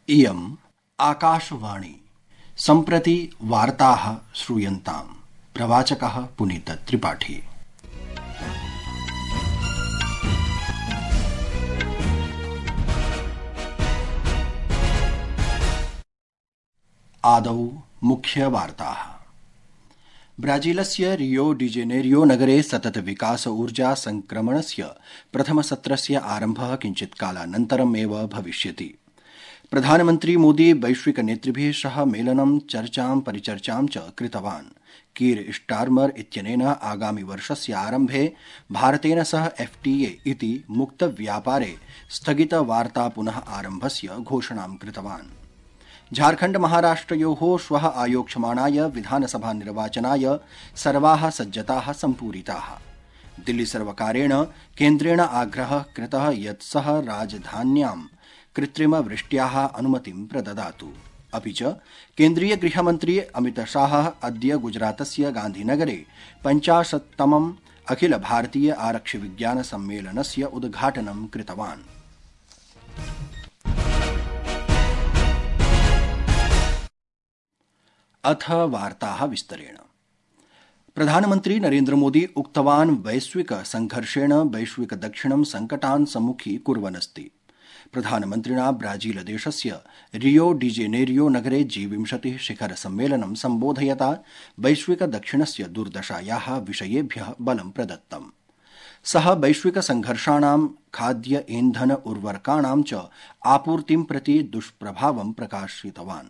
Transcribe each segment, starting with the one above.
इयम् आकाशवाणी सम्प्रति वार्ताः श्रूयन्ताम्। प्रवाचकः पुनीत त्रिपाठी। आदौ मुख्यवार्ताः। ब्राजीलस्य रियो डी जेनेरियो नगरे सतत विकास ऊर्जा संक्रमणस्य प्रथमसत्रस्य आरम्भः किञ्चित्कालानन्तरमेव भविष्यति। प्रधानमन्त्री मोदी वैश्विक नेतृभिः सह मेलनं चर्चां परिचर्चां च कृतवान्। कीर स्टारमर इत्यनेन आगामि वर्षस्य आरम्भे भारतेन सह FTA इति मुक्तव्यापारे स्थगितवार्ता पुनः आरम्भस्य घोषणां कृतवान्। झारखण्ड महाराष्ट्रयोः श्वः आयोक्ष्यमाणाय विधानसभा निर्वाचनाय सर्वाः सज्जताः सम्पूरिताः। दिल्ली सर्वकारेण केन्द्रेण आग्रहः कृतः यत् सः राजधान्यां कृत्रिमवृष्ट्याः अनुमतिं प्रददातु। अपि च केन्द्रीय गृहमन्त्री अमितशाहः अद्य गुजरातस्य गान्धीनगरे 50तमम् अखिल भारतीय आरक्षि विज्ञान सम्मेलनस्य उद्घाटनं कृतवान्। अथ वार्ताः विस्तरेण। प्रधानमन्त्री नरेन्द्र मोदी उक्तवान् वैश्विक संघर्षेण वैश्विक दक्षिणं संकटान् सम्मुखीकुर्वन्नस्ति। प्रधानमन्त्रिणा ब्राजीलदेशस्य रियो डी जेनेरियो नगरे G20 शिखर सम्मेलनं सम्बोधयता वैश्विक दक्षिणस्य दुर्दशायाः विषयेभ्यः बलं प्रदत्तम्। सः वैश्विक संघर्षाणां खाद्य ईंधन उर्वरकाणां च आपूर्तिं प्रति दुष्प्रभावं प्रकाशितवान्।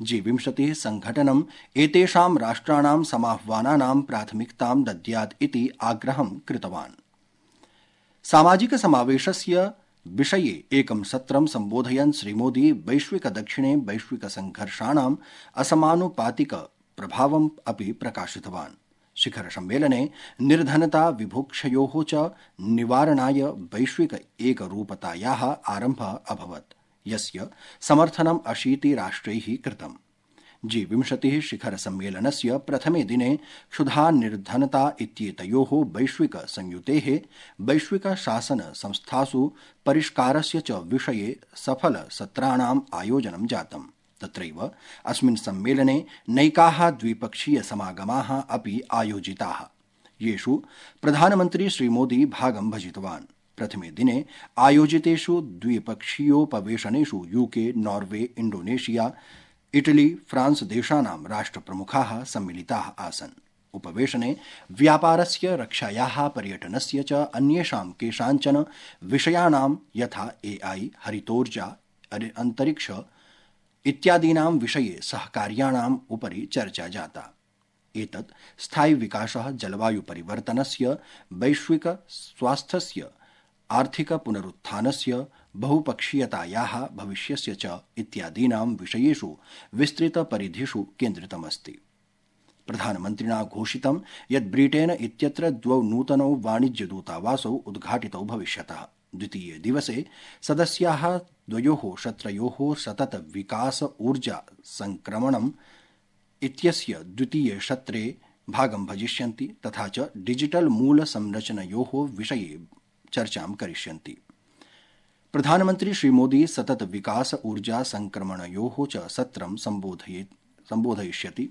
G20 संघटनम् एतेषां राष्ट्राणां समाह्वानानां प्राथमिकतां दद्यात् इति आग्रहं कृतवान्। सामाजिक समावेशस्य विषये एकं सत्रं सम्बोधयन् श्रीमोदी वैश्विक दक्षिणे वैश्विक संघर्षाणाम् असमानुपातिक प्रभावम् अपि प्रकाशितवान्। शिखर सम्मेलने निर्धनता विभुक्षयोः च निवारणाय वैश्विक एकरूपतायाः आरम्भः अभवत्, यस्य समर्थनं 80 राष्ट्रैः कृतम्। G20 शिखर सम्मेलनस्य प्रथमे दिने क्षुधा निर्धनता इत्येतयोः वैश्विक संयुतेः वैश्विक शासन संस्थासु परिष्कारस्य च विषये सफल सत्राणाम् आयोजनं जातम्। तत्रैव अस्मिन् सम्मेलने नैकाः द्विपक्षीय समागमाः अपि आयोजिताः, येषु प्रधानमन्त्री श्रीमोदी भागं भजितवान्। प्रथमे दिने आयोजितेषु द्विपक्षीयोपवेशनेषु UK, Norway, Indonesia, Italy, France देशानां राष्ट्रप्रमुखाः सम्मिलिताः आसन्। उपवेशने व्यापारस्य, रक्षायाः, पर्यटनस्य च अन्येषां केषाञ्चन विषयाणां यथा AI, हरितोर्जा, अन्तरिक्ष इत्यादीनां विषये सहकार्याणाम् उपरि चर्चा जाता। एतत् स्थायि विकासः, जलवायु परिवर्तनस्य, वैश्विक स्वास्थ्यस्य, आर्थिक पुनरुत्थानस्य, बहुपक्षीयतायाः भविष्यस्य च इत्यादीनां विषयेषु विस्तृतपरिधिषु केन्द्रितमस्ति। प्रधानमन्त्रिणा घोषितं यत् ब्रिटेन इत्यत्र 2 नूतनौ वाणिज्यदूतावासौ उद्घाटितौ भविष्यतः। द्वितीये दिवसे सदस्याः द्वयोः शत्रयोः सतत विकास ऊर्जा संक्रमणम् इत्यस्य द्वितीये शत्रे भागं भजिष्यन्ति, तथा च डिजिटल मूल संरचनयोः विषये चर्चां करिष्यन्ति। प्रधानमन्त्री श्रीमोदी सतत विकास ऊर्जा संक्रमणयोः च सत्रं सम्बोधयिष्यति,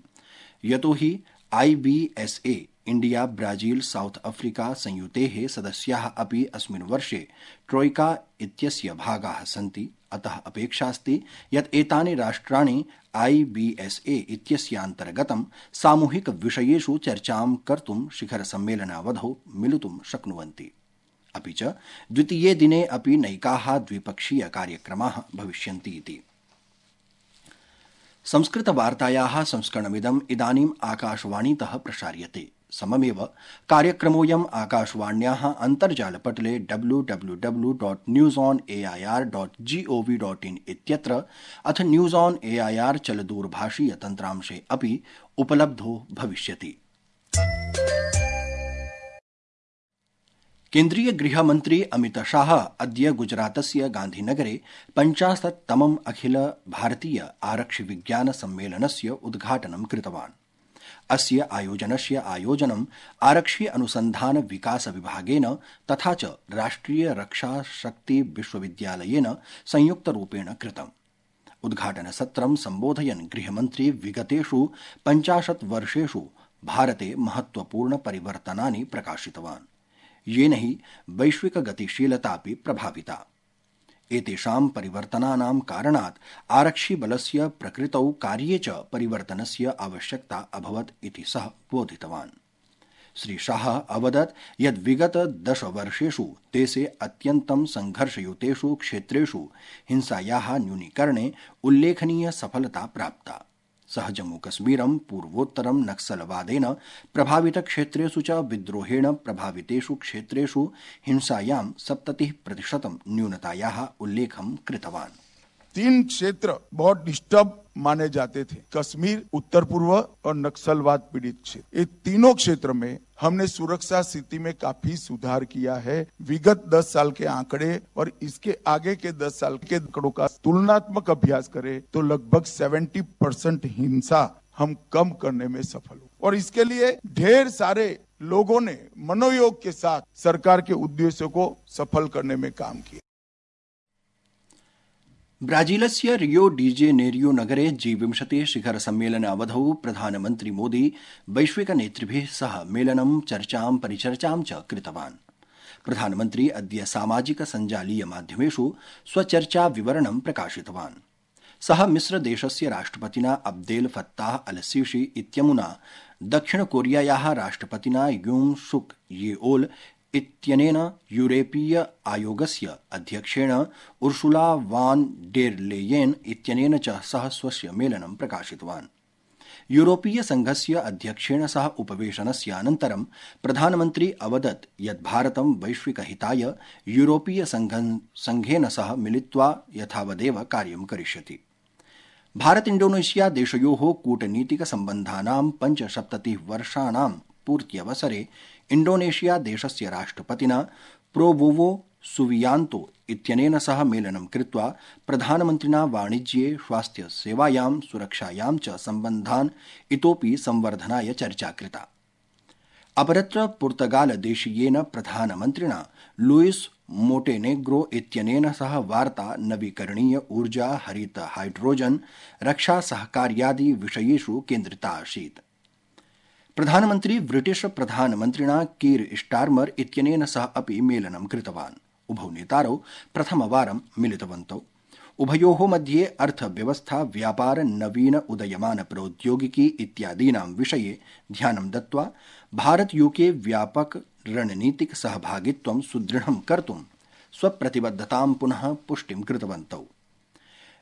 यतो हि IBSA India, Brazil, South Africa संयुतेः सदस्याः अपि अस्मिन् वर्षे ट्रोइका इत्यस्य भागाः सन्ति। अतः अपेक्षास्ति यत् एतानि राष्ट्राणि IBSA इत्यस्यान्तर्गतं सामूहिक विषयेषु चर्चां कर्तुं शिखर सम्मेलनावधौ मिलितुं शक्नुवन्ति। अपि च द्वितीये दिने अपि नैकाः द्विपक्षीय कार्यक्रमाः भविष्यन्ति इति। संस्कृतवार्तायाः संस्करणमिदम् इदानीम् आकाशवाणीतः प्रसार्यते। सममेव कार्यक्रमोऽयम् आकाशवाण्याः अन्तर्जालपटले www.newsonair.gov.in इत्यत्र अथ न्यूज़ ऑन AIR चलदूरभाषीय तन्त्रांशे अपि उपलब्धो भविष्यति। केन्द्रीय गृहमन्त्री अमितशाह अद्य गुजरातस्य गान्धीनगरे 50तमम् अखिल भारतीय आरक्षि विज्ञान सम्मेलनस्य उद्घाटनं कृतवान्। अस्य आयोजनस्य आयोजनं आरक्षि अनुसन्धान विकास विभागेन तथा च राष्ट्रिय रक्षा शक्ति विश्वविद्यालयेन संयुक्तरूपेण कृतम्। उद्घाटनसत्रं सम्बोधयन् गृहमन्त्री विगतेषु 50 वर्षेषु भारते महत्वपूर्ण परिवर्तनानि प्रकाशितवान्, येन हि वैश्विक गतिशीलतापि प्रभाविता। एतेषां परिवर्तनानां कारणात् आरक्षिबलस्य प्रकृतौ कार्ये च परिवर्तनस्य आवश्यकता अभवत् इति सः बोधितवान्। श्री शाह अवदत् यत् विगत 10 वर्षेषु देशे अत्यन्तं संघर्षयुतेषु क्षेत्रेषु हिंसायाः न्यूनीकरणे उल्लेखनीय सफलता प्राप्ता। सः जम्मूकश्मीरं पूर्वोत्तरं नक्सलवादेन प्रभावितक्षेत्रेषु च विद्रोहेण प्रभावितेषु क्षेत्रेषु हिंसायां 70% न्यूनतायाः उल्लेखं कृतवान्। 3 क्षेत्र बहुत डिस्टर्ब माने जाते थे, कश्मीर, उत्तर पूर्व और नक्सलवाद पीड़ित क्षेत्र। ये तीनों क्षेत्र में हमने सुरक्षा स्थिति में काफी सुधार किया है। विगत 10 साल के आंकड़े और इसके आगे के 10 साल के आंकड़ों का तुलनात्मक अभ्यास करें तो लगभग 70% हिंसा हम कम करने में सफल हुए और इसके लिए ढेर सारे लोगों ने मनोयोग के साथ सरकार के उद्देश्यों को सफल करने में काम किया। ब्राजीलस्य रियो डी जेनेरियो नगरे G20 शिखर सम्मेलन अवधौ प्रधानमन्त्री मोदी वैश्विक नेतृभिः सह मेलनं, चर्चां, परिचर्चां च कृतवान्। प्रधानमन्त्री अद्य सामाजिक सञ्जालीय माध्यमेषु स्वचर्चा विवरणं प्रकाशितवान्। सः मिस्रदेशस्य राष्ट्रपतिना अब्देल फत्ताह अल सीसी इत्यमुना दक्षिण कोरियायाः राष्ट्रपतिना यूंग सुक येओल इत्यनेन यूरोपीय आयोगस्य अध्यक्षेण उर्सुला वान डेर लेयेन इत्यनेन च सह स्वस्य मेलनं प्रकाशितवान्। यूरोपीय संघस्य अध्यक्षेण सह उपवेशनस्य अनन्तरं प्रधानमन्त्री अवदत् यत् भारतं वैश्विकहिताय यूरोपीय संघेन सह मिलित्वा यथावदेव कार्यं करिष्यति। भारत इंडोनेशिया देशयोः कूटनीतिक सम्बन्धानां 75 वर्षाणां पूर्त्यवसरे इंडोनेशिया देशस्य राष्ट्रपतिना प्रोबोवो सुबियांतो इत्यनेन सह मेलनं कृत्वा प्रधानमन्त्रिणा वाणिज्ये, स्वास्थ्य सेवायां, सुरक्षायां च सम्बन्धान् इतोपि संवर्धनाय चर्चा कृता। अपरत्र पुर्तगाल देशीयेन प्रधानमन्त्रिणा लुइस मोंटेनेग्रो इत्यनेन सह वार्ता नवीकरणीय ऊर्जा, हरित हाइड्रोजन, रक्षा सहकार्यादि विषयेषु केन्द्रिता आसीत्। प्रधानमन्त्री ब्रिटिश प्रधानमन्त्रिणा कीर स्टार्मर इत्यनेन सह अपि मेलनं कृतवान्। उभौ नेतारौ प्रथमवारं मिलितवन्तौ। उभयोः मध्ये अर्थव्यवस्था, व्यापार, नवीन उदयमान प्रौद्योगिकी इत्यादीनां विषये ध्यानं दत्त्वा भारत यूके व्यापक रणनीतिक सहभागित्वं सुदृढं कर्तुं स्वप्रतिबद्धतां पुनः पुष्टिं कृतवन्तौ।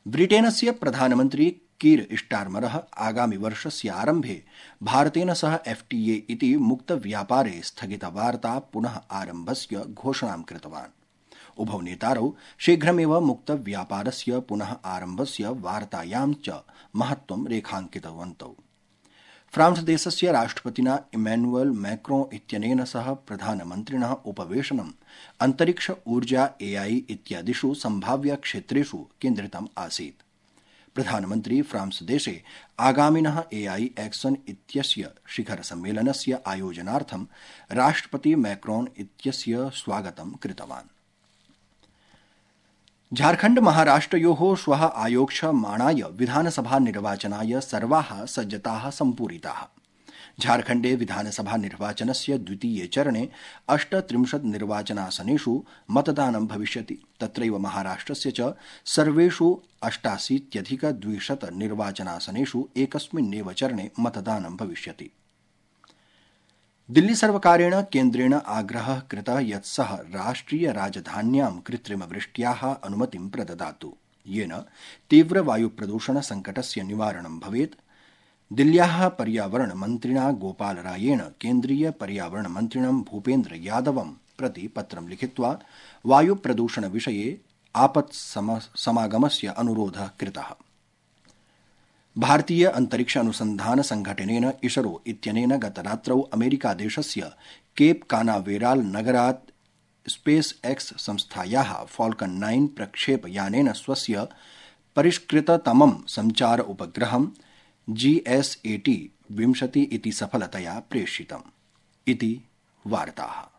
ब्रिटेनस्य प्रधानमन्त्री कीर स्टार्मरः आगामि वर्षस्य आरम्भे भारतेन सह FTA इति मुक्तव्यापारे स्थगितवार्ता पुनः आरम्भस्य घोषणां कृतवान्। उभौ नेतारौ शीघ्रमेव मुक्तव्यापारस्य पुनः आरम्भस्य वार्तायां च महत्त्वं रेखाङ्कितवन्तौ। फ्रांस देशस्य राष्ट्रपतिना इमैनुअल मैक्रों इत्यनेन सह प्रधानमन्त्रिणः उपवेशनम् अन्तरिक्ष ऊर्जा, AI इत्यादिषु सम्भाव्य क्षेत्रेषु केन्द्रितम् आसीत्। प्रधानमन्त्री फ्रांस देशे आगामिनः AI एक्शन इत्यस्य शिखर सम्मेलनस्य आयोजनार्थं राष्ट्रपति मैक्रोन इत्यस्य स्वागतं कृतवान्। झारखण्ड महाराष्ट्रयोः श्वः आयोक्ष्यमाणाय विधानसभा निर्वाचनाय सर्वाः सज्जताः सम्पूरिताः। झारखण्डे विधानसभा निर्वाचनस्य द्वितीये चरणे 38 निर्वाचनासनेषु मतदानं भविष्यति। तत्रैव महाराष्ट्रस्य च सर्वेषु 88,200 निर्वाचनासनेषु एकस्मिन्नेव चरणे मतदानं भविष्यति। दिल्ली सर्वकारेण केन्द्रेण आग्रहः कृतः यत् सः राष्ट्रिय राजधान्यां कृत्रिमवृष्ट्याः अनुमतिं प्रददातु, येन तीव्रवायुप्रदूषण संकटस्य निवारणं भवेत्। दिल्ल्याः पर्यावरण मन्त्रिणा गोपाल रायेण केन्द्रीय पर्यावरण मन्त्रिणं भूपेन्द्र यादवं प्रति पत्रं लिखित्वा वायुप्रदूषण विषये आपत्समागमस्य अनुरोधः कृतः। भारतीय अंतरिक्ष अनुसंधान संघटनेन इसरो इत्यनेन गतरात्रौ अमेरिकादेशस्य केप कानावेराल नगरात् स्पेस एक्स संस्थायाः फाल्कन 9 प्रक्षेपयानेन स्वस्य परिष्कृततमं संचार उपग्रहं GSAT-20 इति सफलतया प्रेषितम् इति वार्ताः।